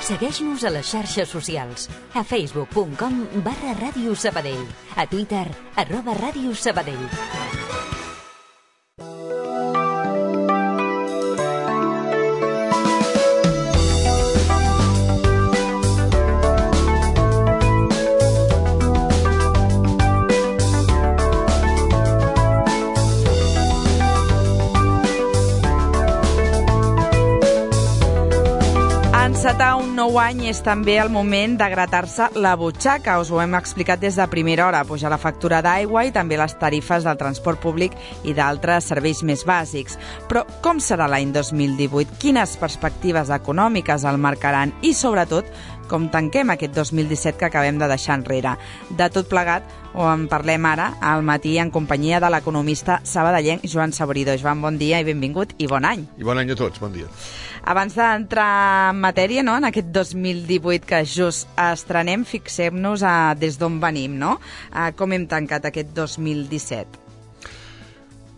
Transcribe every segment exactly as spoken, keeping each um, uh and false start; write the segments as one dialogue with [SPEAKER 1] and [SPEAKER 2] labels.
[SPEAKER 1] Segueix-nos a les xarxes socials. A facebook punt com barra Ràdio Sabadell. A Twitter, arroba Ràdio Sabadell.
[SPEAKER 2] Encetar un nou any és també el moment de gratar-se la butxaca. Us ho hem explicat des de primera hora. Pujar la factura d'aigua i també les tarifes del transport públic i d'altres serveis més bàsics. Però com serà l'any dos mil divuit? Quines perspectives econòmiques el marcaran? I, sobretot, com tanquem aquest dos mil disset que acabem de deixar enrere? De tot plegat ho en parlem ara al matí en companyia de l'economista sabadellenc Joan Saborido. Joan, bon dia i benvingut i bon any.
[SPEAKER 3] I bon any a tots, bon dia.
[SPEAKER 2] Abans d'entrar en matèria, no?, en aquest dos mil divuit que just estrenem, fixem-nos a des d'on venim, no? A com hem tancat aquest dos mil disset.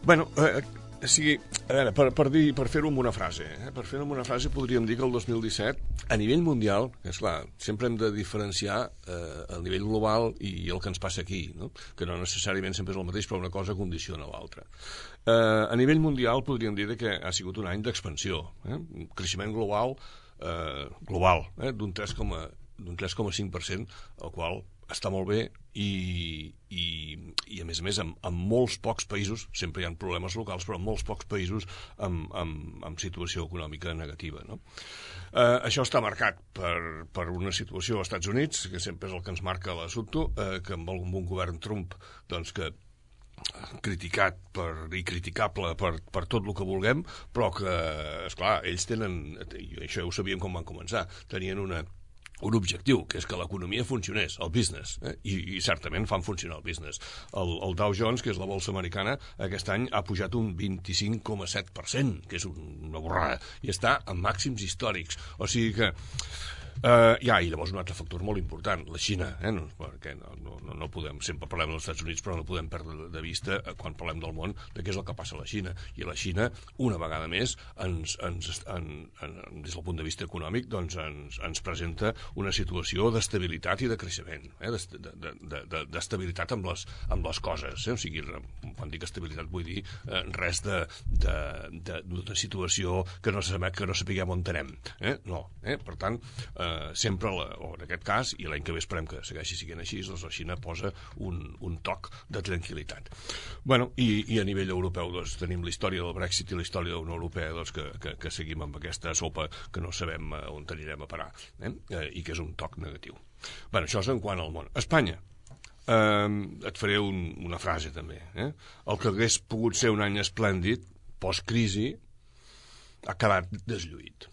[SPEAKER 3] Bueno, eh, o sigui, a veure, per, per, dir, per fer-ho amb una frase, eh? per fer-ho amb una frase podríem dir que el dos mil disset, a nivell mundial, és clar, sempre hem de diferenciar eh, el nivell global i el que ens passa aquí, no? Que no necessàriament sempre és el mateix, però una cosa condiciona l'altra. Eh, a nivell mundial podríem dir que ha sigut un any d'expansió, eh? Un creixement global, eh, global eh? d'un tres coma cinc per cent, el qual està molt bé i, i, i a més a més en, en molts pocs països, sempre hi ha problemes locals, però en molts pocs països amb, amb, amb situació econòmica negativa, no? Eh, això està marcat per, per una situació als Estats Units, que sempre és el que ens marca l'assumpte, eh, que amb algun bon govern Trump, doncs que criticat per, i criticable per, per tot el que vulguem, però que, esclar, ells tenen, i això ja ho sabíem quan van començar, tenien una un objectiu, que és que l'economia funcionés, el business, eh? I, i certament fan funcionar el business. El, el Dow Jones, que és la bolsa americana, aquest any ha pujat un vint-i-cinc coma set per cent, que és una borrada, i està en màxims històrics. O sigui que Uh, ja, i llavors un altre factor molt important, la Xina, eh? no, perquè no, no, no podem, sempre parlem dels Estats Units, però no podem perdre de vista, quan parlem del món, de què és el que passa a la Xina. I a la Xina, una vegada més, ens, ens, en, en, des del punt de vista econòmic, doncs ens, ens presenta una situació d'estabilitat i de creixement, eh? d'estabilitat amb les, amb les coses. Eh? O sigui, quan dic estabilitat vull dir eh, res de, de, de, de situació que no, sabem, que no sapiguem on anem. Eh? No, eh? Per tant, eh, Uh, sempre, la, o en aquest cas, i l'any que ve esperem que segueixi siguent així, doncs la Xina posa un, un toc de tranquil·litat. Bueno, i, i a nivell europeu doncs, tenim la història del Brexit i la història de la Unió Europea doncs, que, que, que seguim amb aquesta sopa que no sabem uh, on anirem a parar, eh? Uh, i que és un toc negatiu. Bueno, això és en quant al món. Espanya. Uh, et faré un, una frase també. Eh? El que hagués pogut ser un any esplèndid, post-crisi, ha quedat deslluït.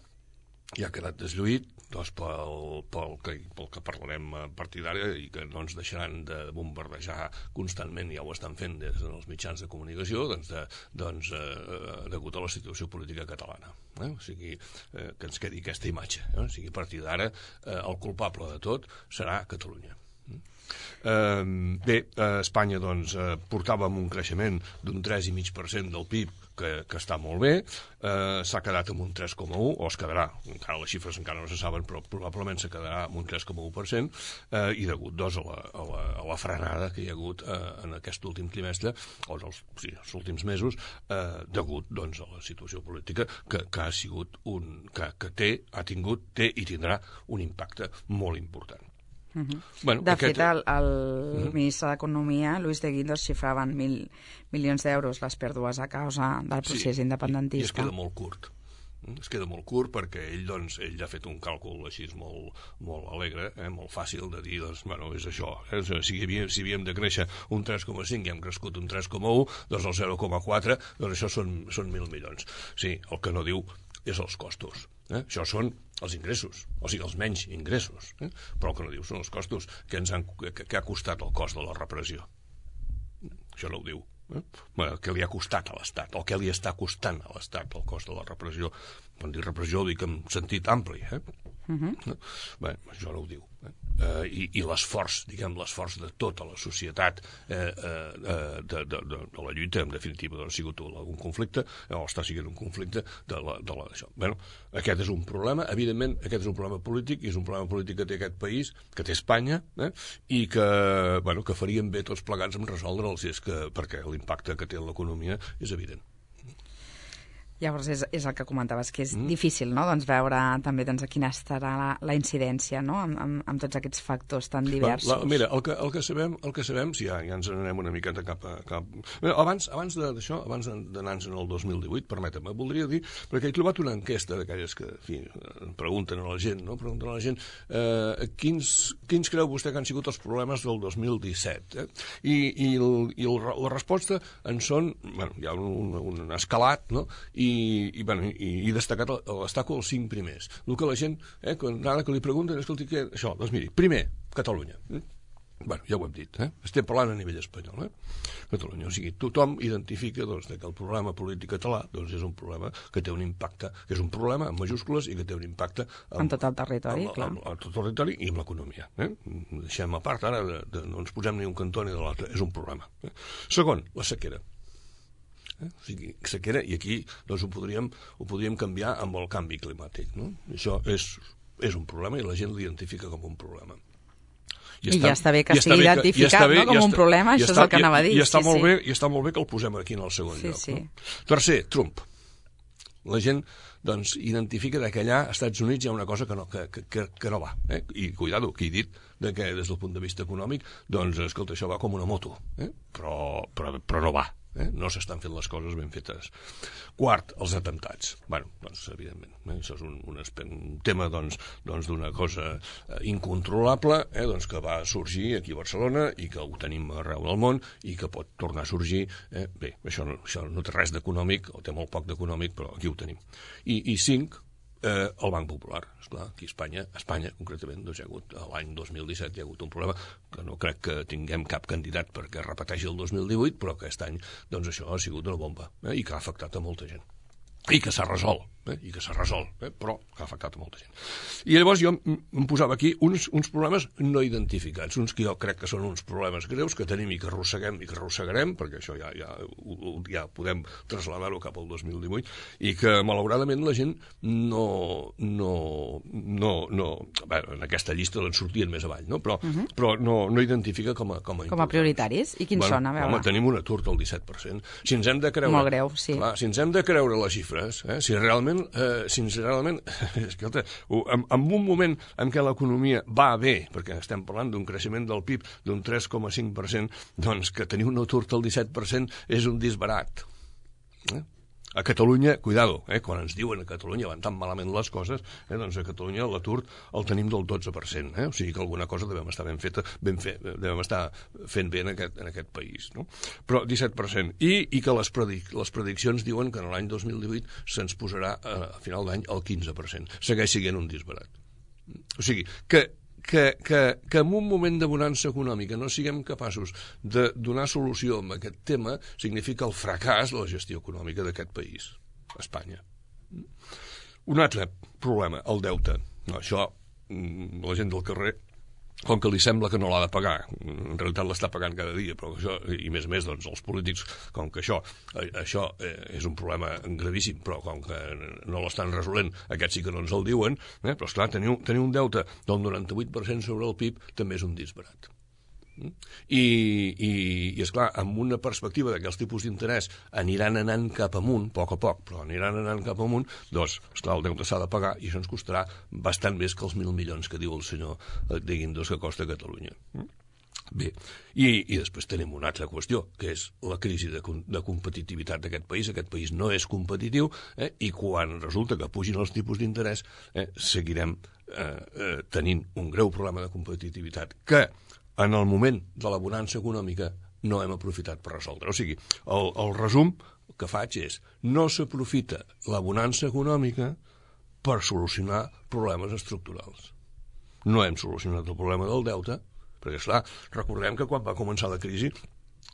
[SPEAKER 3] I ha quedat deslluït doncs, pel, pel, que, pel que parlarem a partir d'ara i que no ens deixaran de bombardejar constantment, ja ho estan fent des dels mitjans de comunicació, doncs, de, doncs eh, degut a la situació política catalana. Eh? O sigui, eh, que ens quedi aquesta imatge. Eh? O sigui, a partir d'ara, eh, el culpable de tot serà Catalunya. Eh, bé, a Espanya doncs, eh, portàvem un creixement d'un tres coma cinc per cent del P I B que, que està molt bé, eh, s'ha quedat amb un tres coma un, o es quedarà, encara les xifres encara no se saben, però probablement se quedarà amb un tres coma un per cent, eh, i degut doncs, a, la, a, la, a la frenada que hi ha hagut eh, en aquest últim trimestre, o els, sí, els últims mesos, eh, degut doncs, a la situació política que, que ha sigut un, que, que té, ha tingut, té i tindrà un impacte molt important.
[SPEAKER 2] Uh -huh.
[SPEAKER 3] Bueno,
[SPEAKER 2] de
[SPEAKER 3] aquest...
[SPEAKER 2] fet, el, el uh
[SPEAKER 3] -huh.
[SPEAKER 2] ministre d'Economia, Luis de Guindos, xifraven mil milions d'euros les pèrdues a causa del procés
[SPEAKER 3] sí,
[SPEAKER 2] independentista.
[SPEAKER 3] I, i es queda molt curt. Es queda molt curt perquè ell, doncs, ell ha fet un càlcul així molt, molt alegre, eh, molt fàcil de dir, doncs, bueno, és això. Eh? Si, havíem, si havíem de créixer un tres coma cinc i hem crescut un tres coma un, doncs el zero coma quatre, doncs això són, són mil milions. Sí, el que no diu és els costos. Eh? Això són els ingressos, o sigui, els menys ingressos. Eh? Però el que no diu són els costos que, ens han, que, que ha costat el cost de la repressió. Això no ho diu. Eh? Bueno, què li ha costat a l'Estat, o què li està costant a l'Estat el cost de la repressió. Quan dic repressió ho dic en sentit ampli. Eh? Uh-huh. Eh? Bé, això no ho diu. Eh? eh, i, i l'esforç, diguem, l'esforç de tota la societat eh, eh, de, de, de, de la lluita, en definitiva, doncs, ha sigut algun conflicte, o està sent un conflicte de la, de la, d'això. Bueno, aquest és un problema, evidentment, aquest és un problema polític, i és un problema polític que té aquest país, que té Espanya, eh, i que, bueno, que faríem bé tots plegats en resoldre'ls, és que, perquè l'impacte que té en l'economia és evident.
[SPEAKER 2] Llavors és, és el que comentaves, que és mm. difícil, no?, doncs veure també doncs, a quina estarà la, la incidència, no?, amb, amb, amb tots aquests factors tan diversos.
[SPEAKER 3] La, mira, el que, el que sabem, el que sabem, si ja, ja ens anem una miqueta cap a... Cap... Mira, abans abans d'això, abans d'anar-nos en el dos mil divuit, permetem, voldria dir, perquè he trobat una enquesta d'aquelles que, en fi, pregunten a la gent, no?, pregunten a la gent eh, quins, quins creu vostè que han sigut els problemes del dos mil disset, eh? I, i, el, i el, la resposta en són, bueno, hi ha un, un escalat, no?, i i, i, bueno, i, i destacat, destaco els cinc primers. El que la gent, eh, quan, ara que li pregunten, escolti, què? Això, doncs miri, primer, Catalunya. Eh? Bueno, ja ho hem dit, eh? Estem parlant a nivell espanyol, eh? Catalunya, o sigui, tothom identifica, doncs, que el problema polític català, doncs, és un problema que té un impacte, que és un problema en majúscules i que té un impacte
[SPEAKER 2] en tot el territori, clar.
[SPEAKER 3] En tot el territori i en l'economia, eh? Deixem a part ara, de, de, no ens posem ni un cantó ni de l'altre, és un problema. Eh? Segon, la sequera. Eh? O sigui, sequera, i aquí doncs, ho, podríem, ho podríem canviar amb el canvi climàtic, no? Això és, és un problema i la gent l'identifica com un problema.
[SPEAKER 2] I, I està, ja està bé que sigui identificat, bé, no, com un està, problema, això està, és el que anava a dir.
[SPEAKER 3] I, i, està
[SPEAKER 2] sí,
[SPEAKER 3] molt
[SPEAKER 2] sí.
[SPEAKER 3] bé, I està molt bé que el posem aquí en el segon
[SPEAKER 2] sí,
[SPEAKER 3] lloc.
[SPEAKER 2] Sí.
[SPEAKER 3] No? Tercer, Trump. La gent doncs, identifica que allà als Estats Units hi ha una cosa que no, que, que, que no va. Eh? I, cuidado, que he dit de que des del punt de vista econòmic, doncs, escolta, això va com una moto, eh? però, però, però no va. Eh? No s'estan fent les coses ben fetes. Quart, els atemptats. Bueno, doncs, evidentment, eh? Això és un, un, un tema doncs, doncs d'una cosa eh, incontrolable, eh? doncs, que va sorgir aquí a Barcelona i que ho tenim arreu del món i que pot tornar a sorgir. Eh? Bé, això no, això no té res d'econòmic, o té molt poc d'econòmic, però aquí ho tenim. I, i cinc, eh, el Banc Popular. Esclar, aquí a Espanya, a Espanya concretament, doncs hi ha hagut, l'any dos mil disset hi ha hagut un problema que no crec que tinguem cap candidat perquè repeteixi el dos mil divuit, però aquest any doncs això ha sigut una bomba, eh, i que ha afectat a molta gent. I que s'ha resolt, eh, i que s'ha resolt, eh, però que ha afectat a molta gent. I llavors jo em posava aquí uns, uns problemes no identificats, uns que jo crec que són uns problemes greus que tenim i que arrosseguem i que arrossegarem, perquè això ja, ja, ja podem traslladar-ho cap al dos mil divuit, i que malauradament la gent no... no, no, no bé, en aquesta llista doncs sortien més avall, no? Però, uh-huh. però no, no identifica com a com a,
[SPEAKER 2] com a prioritaris. I quins
[SPEAKER 3] bueno,
[SPEAKER 2] són? A veure.
[SPEAKER 3] Home, tenim un atur del disset per cent. Si ens hem de creure...
[SPEAKER 2] Molt greu, sí.
[SPEAKER 3] Clar, si ens hem de creure la xifra, Eh? Si realment, eh, si realment escolta, en, en un moment en què l'economia va bé, perquè estem parlant d'un creixement del P I B d'un tres coma cinc per cent, doncs que tenir un atur del disset per cent és un disbarat. Eh? A Catalunya, cuidado, eh, quan ens diuen a Catalunya van tan malament les coses, eh, doncs a Catalunya l'atur el tenim del dotze per cent, eh? O sigui que alguna cosa devem estar ben feta, ben fe, devem estar fent bé en aquest, en aquest país, no? Però disset per cent. I, i que les, predic, les prediccions diuen que en l'any dos mil divuit se'ns posarà a, a final d'any el quinze per cent. Segueix sent un disbarat. O sigui, que Que, que, que en un moment de bonança econòmica no siguem capaços de donar solució a aquest tema significa el fracàs de la gestió econòmica d'aquest país, Espanya. Un altre problema, el deute. No, això, la gent del carrer, com que li sembla que no l'ha de pagar, en realitat l'està pagant cada dia, però això, i més a més, doncs, els polítics, com que això, això eh, és un problema gravíssim, però com que no l'estan resolent, aquests sí que no ens el diuen, eh, però esclar, tenir, tenir un deute del noranta-vuit per cent sobre el P I B també és un disbarat. I, i, i esclar, amb una perspectiva de que els tipus d'interès aniran anant cap amunt, a poc a poc, però aniran anant cap amunt, doncs, esclar, el deute s'ha de pagar i això ens costarà bastant més que els mil milions que diu el senyor de Guindos que costa Catalunya. Bé, i, i després tenim una altra qüestió, que és la crisi de, de competitivitat d'aquest país. Aquest país no és competitiu, eh, i quan resulta que pugin els tipus d'interès, eh, seguirem eh, eh, tenint un greu problema de competitivitat que en el moment de la bonança econòmica no hem aprofitat per resoldre. O sigui, el, el resum que faig és no s'aprofita la bonança econòmica per solucionar problemes estructurals. No hem solucionat el problema del deute, perquè, esclar, recordem que quan va començar la crisi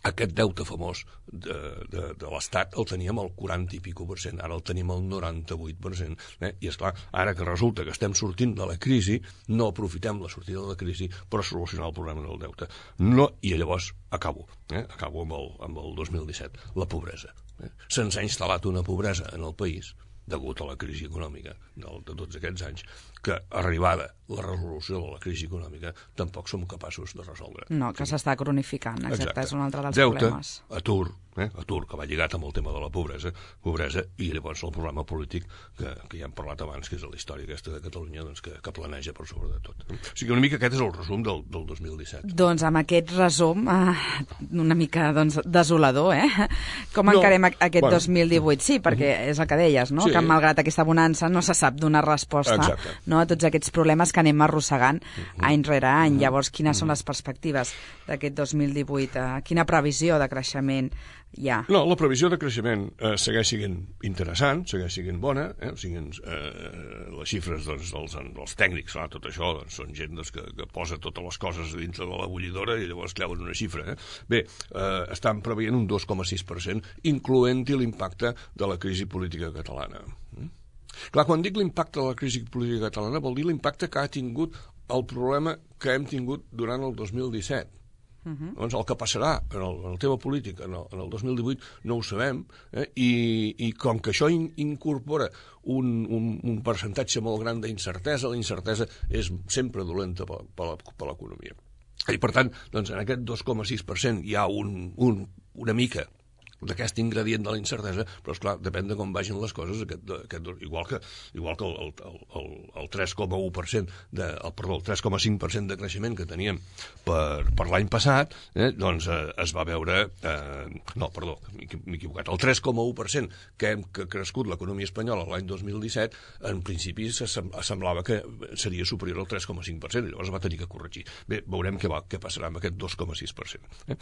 [SPEAKER 3] aquest deute famós de, de, de l'Estat el teníem al quaranta i pico per cent, ara el tenim al noranta-vuit per cent. Eh? I, esclar, ara que resulta que estem sortint de la crisi, no aprofitem la sortida de la crisi per solucionar el problema del deute. No, i llavors acabo, eh? acabo amb el, amb el dos mil disset, la pobresa. Eh? Se'ns ha instal·lat una pobresa en el país degut a la crisi econòmica de, de tots aquests anys, que arribada la resolució de la crisi econòmica tampoc som capaços de resoldre.
[SPEAKER 2] No, que s'està cronificant, exacte, exacte. És un altre dels
[SPEAKER 3] Deute,
[SPEAKER 2] problemes.
[SPEAKER 3] atur, eh? atur, que va lligat amb el tema de la pobresa, pobresa i llavors el problema polític que, que ja hem parlat abans, que és la història aquesta de Catalunya, doncs, que, que planeja per sobre de tot. O sigui, una mica aquest és el resum del, del dos mil disset.
[SPEAKER 2] Doncs amb aquest resum, eh, una mica doncs, desolador, eh? Com
[SPEAKER 3] no,
[SPEAKER 2] encarem aquest
[SPEAKER 3] bueno,
[SPEAKER 2] dos mil divuit? Sí, perquè uh-huh. és el que deies, no?
[SPEAKER 3] Sí.
[SPEAKER 2] Que malgrat aquesta bonança no se sap donar resposta, no, a tots aquests problemes que anem arrossegant uh-huh. any rere any. Uh-huh. Llavors, quines uh-huh. són les perspectives d'aquest dos mil divuit? Eh, quina previsió de creixement hi ha?
[SPEAKER 3] No, la previsió de creixement eh, segueix sent interessant, segueix sent bona, eh? O sigui, eh, les xifres doncs, dels, dels tècnics, clar, tot això doncs, són gent doncs, que, que posa totes les coses dintre de la bullidora i llavors creuen una xifra. Eh? Bé, eh, estan preveient un dos coma sis per cent, incloent-hi l'impacte de la crisi política catalana. Mm? Clar, quan dic l'impacte de la crisi política catalana vol dir l'impacte que ha tingut el problema que hem tingut durant el dos mil disset. Uh-huh. Doncs el que passarà en el, en el tema polític en el, en el dos mil divuit no ho sabem, eh? I, i com que això in, incorpora un, un, un percentatge molt gran d'incertesa, la incertesa és sempre dolenta per, per, per l'economia. I per tant, doncs, en aquest dos coma sis per cent hi ha un, un, una mica d'aquest ingredient de la incertesa, però esclar, depèn de com vagin les coses, aquest, aquest, igual que, igual que el, el, el, el tres coma u per cent de, el, perdó, el tres coma cinc per cent de creixement que teníem per, per l'any passat, eh, doncs eh, es va veure, eh, no, perdó, m'he equivocat, el tres coma u per cent que hem que ha crescut l'economia espanyola l'any dos mil disset, en principi se semblava que seria superior al tres coma cinc per cent, i llavors va tenir que corregir. Bé, veurem què, va, què passarà amb aquest dos coma sis per cent. Eh?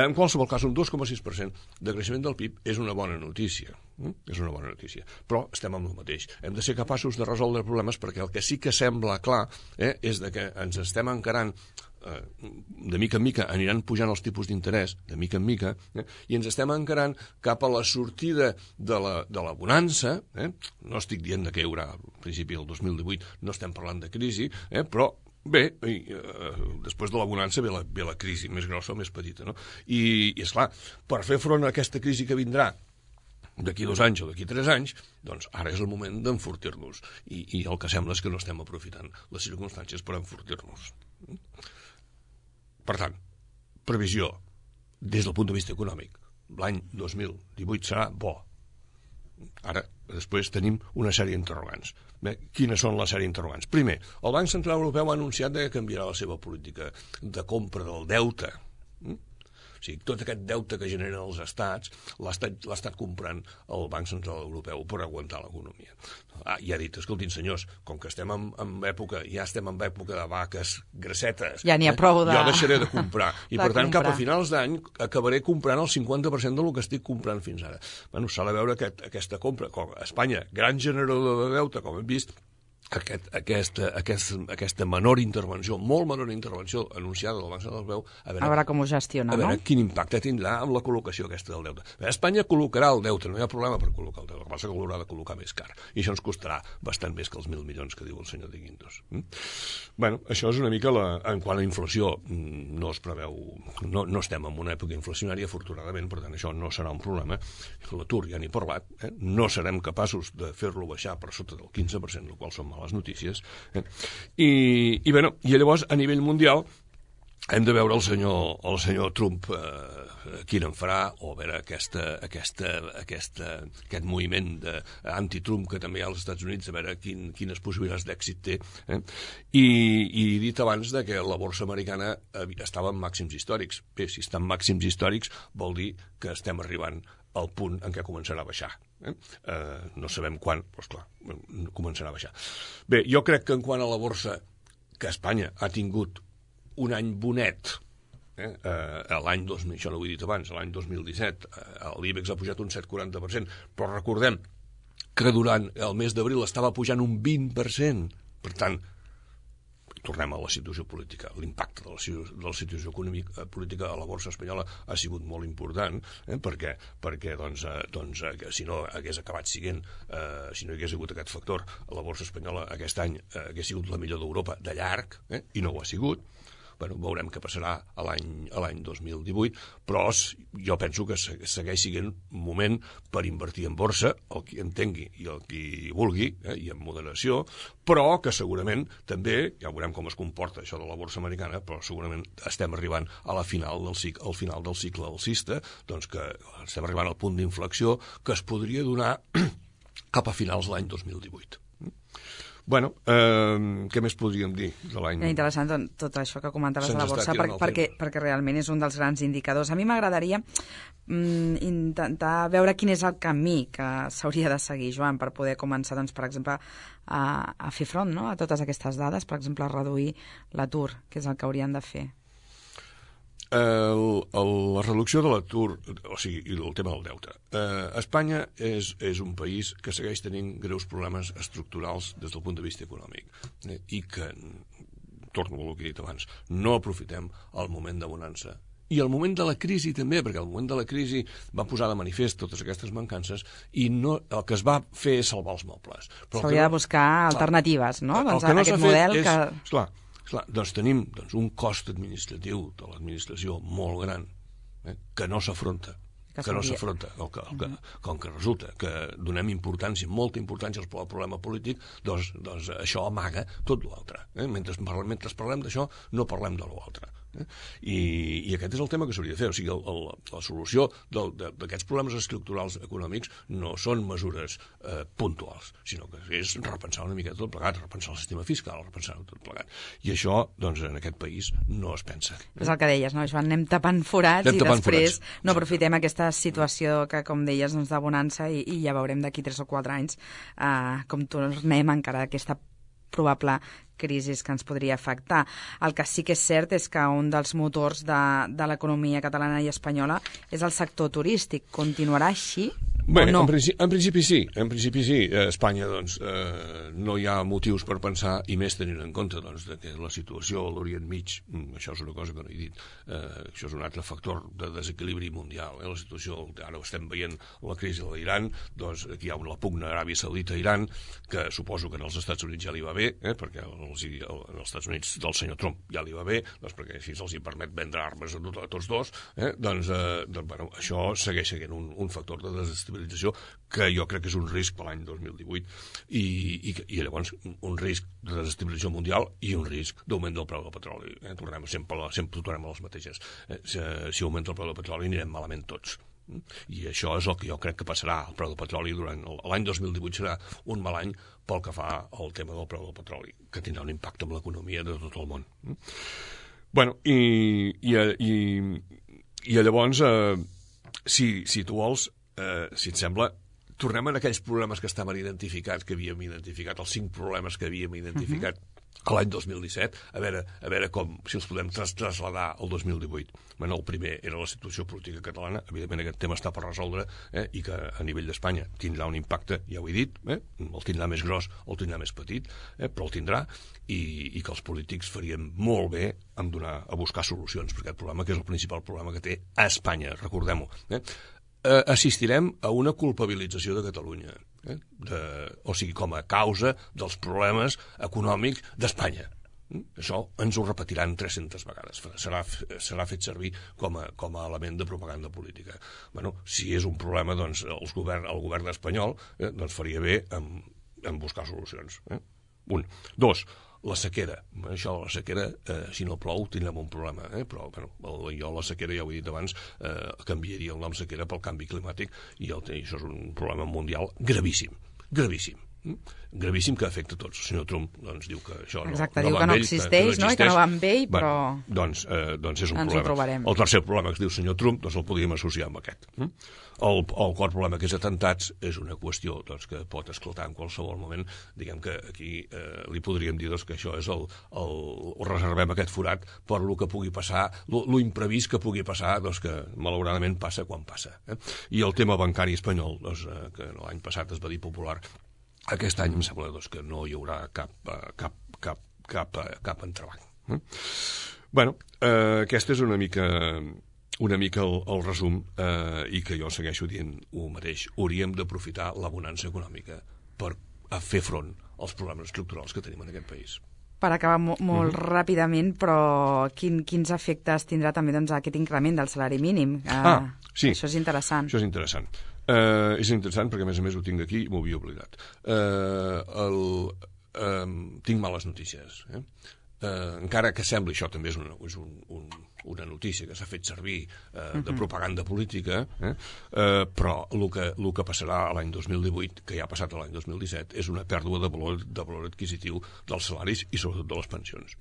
[SPEAKER 3] En qualsevol cas, un dos coma sis per cent de creixement del P I B és una bona notícia, eh? és una bona notícia, però estem amb el mateix. Hem de ser capaços de resoldre problemes perquè el que sí que sembla clar eh, és de que ens estem encarant, eh, de mica en mica aniran pujant els tipus d'interès, de mica en mica, eh, i ens estem encarant cap a la sortida de la, de la bonança, eh? No estic dient que hi haurà, al principi del dos mil divuit no estem parlant de crisi, eh? Però bé, i, eh, després de la bonança ve la, ve la crisi, més grossa o més petita, no? I, i esclar, per fer front a aquesta crisi que vindrà d'aquí dos anys o d'aquí tres anys, doncs ara és el moment d'enfortir-nos. I, I el que sembla és que no estem aprofitant les circumstàncies per enfortir-nos. Per tant, previsió, des del punt de vista econòmic, l'any dos mil divuit serà bo. Ara, després tenim una sèrie d'interrogants. Bé, quines són les sèrie d'interrogants? Primer, el Banc Central Europeu ha anunciat que canviarà la seva política de compra del deute. Mm? O sigui, tot aquest deute que generen els estats l'ha estat, l'ha estat comprant el Banc Central Europeu per aguantar l'economia. Ah, i ha dit, escoltin senyors, com que estem en, en època, ja estem en època de vaques grassetes,
[SPEAKER 2] ja n'hi ha prou de...
[SPEAKER 3] jo deixaré de comprar. I
[SPEAKER 2] de
[SPEAKER 3] per tant,
[SPEAKER 2] comprar.
[SPEAKER 3] cap a finals d'any acabaré comprant el cinquanta per cent del que estic comprant fins ara. Bueno, s'ha de veure aquest, aquesta compra. Com a Espanya, gran generador de deute, com hem vist, Aquest, aquesta, aquesta, aquesta menor intervenció, molt menor intervenció anunciada del Banc Central Europeu, a veure,
[SPEAKER 2] a veure com ho gestiona,
[SPEAKER 3] a veure
[SPEAKER 2] no?
[SPEAKER 3] quin impacte tindrà amb la col·locació aquesta del deute. Bé, Espanya col·locarà el deute, no hi ha problema per col·locar el deute, el que passa que l'haurà de col·locar més car, i això ens costarà bastant més que els mil milions que diu el senyor de Guindos. Mm? Bueno, això és una mica la, en quant a inflació, no es preveu, no, no estem en una època inflacionària, afortunadament, per tant això no serà un problema. L'atur ja n'he parlat, eh? No serem capaços de fer-lo baixar per sota del quinze per cent, el qual són males notícies. Eh? I, i, bueno, i llavors, a nivell mundial, hem de veure el senyor, el senyor Trump eh, quin en farà, o a veure aquesta, aquesta, aquesta, aquest moviment anti-Trump que també hi ha als Estats Units, a veure quin, quines possibilitats d'èxit té. Eh? I, I he dit abans de que la borsa americana estava en màxims històrics. Bé, si està en màxims històrics vol dir que estem arribant al punt en què començarà a baixar. Eh? Eh, no sabem quan, però esclar, començarà a baixar. Bé, jo crec que en quant a la borsa, que Espanya ha tingut un any bonet, eh? Eh, l'any dos mil, això no ho he dit abans, l'any dos mil disset, eh, l'IBEX ha pujat un set coma quaranta per cent, però recordem que durant el mes d'abril estava pujant un vint per cent. Per tant, tornem a la situació política. L'impacte de la, de la situació econòmica política a la borsa espanyola ha sigut molt important, eh? perquè, perquè doncs, eh, doncs, eh, si no hagués acabat siguent, eh, si no hi hagués hagut aquest factor, la borsa espanyola aquest any eh, hagués sigut la millor d'Europa de llarg, eh? I no ho ha sigut. Bueno, veurem què passarà a l'any dos mil divuit, però jo penso que segueix sent un moment per invertir en borsa, el qui entengui i el qui vulgui, eh, i en moderació, però que segurament també, ja veurem com es comporta això de la borsa americana, però segurament estem arribant a la final del cicle, al final del cicle alcista, doncs que estem arribant al punt d'inflexió que es podria donar cap a finals de l'any dos mil divuit. Bueno, eh, què més podríem dir de l'any?
[SPEAKER 2] Interessant tot això que comentaves de la borsa, per, perquè, perquè realment és un dels grans indicadors. A mi m'agradaria mm, intentar veure quin és el camí que s'hauria de seguir, Joan, per poder començar, doncs, per exemple, a, a fer front, no?, a totes aquestes dades, per exemple, a reduir l'atur, que és el que haurien de fer.
[SPEAKER 3] El, el, la reducció de l'atur, o sigui, i el tema del deute. Eh, Espanya és, és un país que segueix tenint greus problemes estructurals des del punt de vista econòmic, eh, i que, torno a el que he dit abans, no aprofitem el moment de bonança. I el moment de la crisi també, perquè el moment de la crisi va posar de manifest totes aquestes mancances i no, el que es va fer és salvar els mobles.
[SPEAKER 2] S'hauria no, de buscar alternatives, no?
[SPEAKER 3] El,
[SPEAKER 2] doncs
[SPEAKER 3] el que no
[SPEAKER 2] aquest
[SPEAKER 3] s'ha
[SPEAKER 2] model
[SPEAKER 3] fet és,
[SPEAKER 2] que...
[SPEAKER 3] esclar, Esclar, doncs tenim doncs, un cost administratiu de l'administració molt gran, eh, que no s'afronta, que, que no s'afronta, el que, el que, com que resulta que donem importància, molta importància al problema polític, doncs, doncs això amaga tot l'altre. Eh? Mentre, mentre parlem d'això, no parlem de l'altre. Eh? I, I aquest és el tema que s'hauria de fer. O sigui, el, el, la solució d'aquests problemes estructurals econòmics no són mesures eh, puntuals, sinó que és repensar una mica tot plegat, repensar el sistema fiscal, repensar tot plegat. I això, doncs, en aquest país no es pensa. Eh?
[SPEAKER 2] És el que deies, no, Joan? Anem tapant forats anem i tapant després forats. No aprofitem aquesta situació que, com deies, doncs, de bonança i, i ja veurem d'aquí tres o quatre anys eh, com tornem encara aquesta probable crisis que ens podria afectar. El que sí que és cert és que un dels motors de, de l'economia catalana i espanyola és el sector turístic. Continuarà així
[SPEAKER 3] Bé,
[SPEAKER 2] o no?
[SPEAKER 3] En principi, en principi sí, en principi sí. A Espanya, doncs, eh, no hi ha motius per pensar, i més tenint en compte, doncs, de que la situació a l'Orient Mig, això és una cosa que no he dit, eh, això és un altre factor de desequilibri mundial. Eh? La situació, ara estem veient la crisi de l'Iran, doncs aquí hi ha la pugna Aràbia Saudita-Iran, que suposo que en els Estats Units ja li va bé, eh? perquè els, en els Estats Units del senyor Trump ja li va bé, doncs perquè així els hi permet vendre armes a, tot, a tots dos, eh? doncs, eh, doncs bueno, això segueix sent un, un factor de desestabilització que jo crec que és un risc per l'any dos mil divuit i, i, i llavors un risc de desestabilització mundial i un risc d'augment del preu del petroli. Eh? Tornem sempre, sempre tornem a les mateixes. Eh? Si, si augmenta el preu del petroli anirem malament tots. I això és el que jo crec que passarà. El preu del petroli durant l'any dos mil divuit serà un mal any pel que fa al tema del preu del petroli, que tindrà un impacte en l'economia de tot el món. Bueno, i, i, i, i llavors, eh, si, si tu vols, Eh, si et sembla, tornem a aquells problemes que estaven identificats, que havíem identificat, els cinc problemes que havíem identificat uh-huh. l'any dos mil disset, a veure, a veure com, si els podem tras traslladar al dos mil divuit. Bueno, el primer era la situació política catalana, evidentment aquest tema està per resoldre, eh, i que a nivell d'Espanya tindrà un impacte, ja ho he dit, eh, el tindrà més gros o el tindrà més petit, eh, però el tindrà, i, i que els polítics faríem molt bé en donar, a buscar solucions per aquest problema, que és el principal problema que té a Espanya, recordem-ho. Eh? Assistirem a una culpabilització de Catalunya, eh? de, o sigui, com a causa dels problemes econòmics d'Espanya. Això ens ho repetiran tres-centes vegades. Serà, serà fet servir com a, com a element de propaganda política. Bueno, si és un problema, doncs els govern, el govern espanyol eh, doncs faria bé en, en buscar solucions. Eh? Un. Dos. La sequera. Això, la sequera, eh, si no plou, tindrem un problema. Eh? Però, bueno, jo la sequera, ja ho he dit abans, eh, canviaria el nom sequera pel canvi climàtic i, el, i això és un problema mundial gravíssim. Gravíssim. gravíssim que afecta a tots. El senyor Trump doncs, diu que això no,
[SPEAKER 2] Exacte,
[SPEAKER 3] no
[SPEAKER 2] diu
[SPEAKER 3] va
[SPEAKER 2] que no
[SPEAKER 3] amb ell,
[SPEAKER 2] existeix, que no, i que no va amb ell, però...
[SPEAKER 3] Bueno, doncs, eh, doncs és un
[SPEAKER 2] ens
[SPEAKER 3] problema. El tercer problema que es diu senyor Trump, doncs el podríem associar amb aquest. El, el quart problema que és atentats és una qüestió doncs, que pot esclatar en qualsevol moment. Diguem que aquí eh, li podríem dir doncs, que això és el, el, el reservem aquest forat per lo que pugui passar, lo, lo imprevist que pugui passar, doncs que malauradament passa quan passa. Eh? I el tema bancari espanyol, doncs, eh, que l'any passat es va dir popular, aquest any em sembla doncs, que no hi haurà cap, cap, cap, cap, a, cap entrebanc. Eh? Bueno, eh, aquesta és una mica, una mica el, el resum eh, i que jo segueixo dient el mateix. Hauríem d'aprofitar la bonança econòmica per a fer front als problemes estructurals que tenim en aquest país.
[SPEAKER 2] Per acabar mo molt
[SPEAKER 3] uh-huh.
[SPEAKER 2] ràpidament, però quin, quins efectes tindrà també doncs, aquest increment del salari mínim? Eh,
[SPEAKER 3] ah, sí.
[SPEAKER 2] Això és interessant.
[SPEAKER 3] Això és interessant. Uh, és interessant perquè, a més a més, ho tinc aquí i m'ho havia oblidat. Uh, el, uh, tinc males notícies. Eh? Uh, encara que sembli, això també és una, és un, un, una notícia que s'ha fet servir uh, de propaganda política, eh? uh, però el que, el que passarà l'any dos mil divuit, que ja ha passat l'any dos mil disset, és una pèrdua de valor, de valor adquisitiu dels salaris i sobretot de les pensions.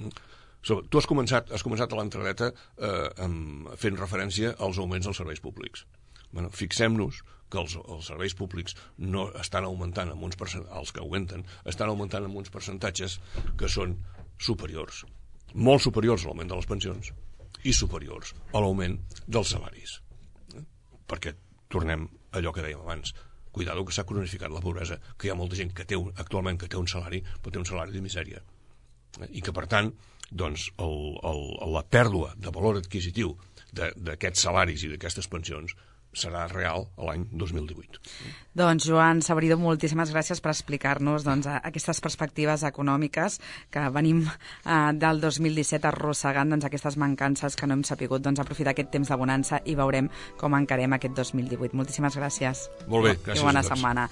[SPEAKER 3] Mm. So, tu has començat, has començat a l'entradeta eh, fent referència als augments dels serveis públics. Bueno, fixem-nos que els, els serveis públics no estan augmentant amb uns els que augmenten, estan augmentant amb uns percentatges que són superiors, molt superiors a l'augment de les pensions i superiors a l'augment dels salaris. Eh? Perquè tornem a allò que dèiem abans, cuidado que s'ha cronificat la pobresa, que hi ha molta gent que té un, actualment que té un salari, però té un salari de misèria. Eh? I que, per tant, doncs, el, el, la pèrdua de valor adquisitiu d'aquests salaris i d'aquestes pensions serà real a l'any dos mil divuit.
[SPEAKER 2] Doncs, Joan Saborido, moltíssimes gràcies per explicar-nos doncs, aquestes perspectives econòmiques que venim eh, del dos mil disset arrossegant doncs, aquestes mancances que no hem sapigut doncs, aprofitar aquest temps de bonança i veurem com encarem aquest dos mil divuit. Moltíssimes gràcies.
[SPEAKER 3] Molt bé, gràcies
[SPEAKER 2] I bona
[SPEAKER 3] a tots.
[SPEAKER 2] setmana.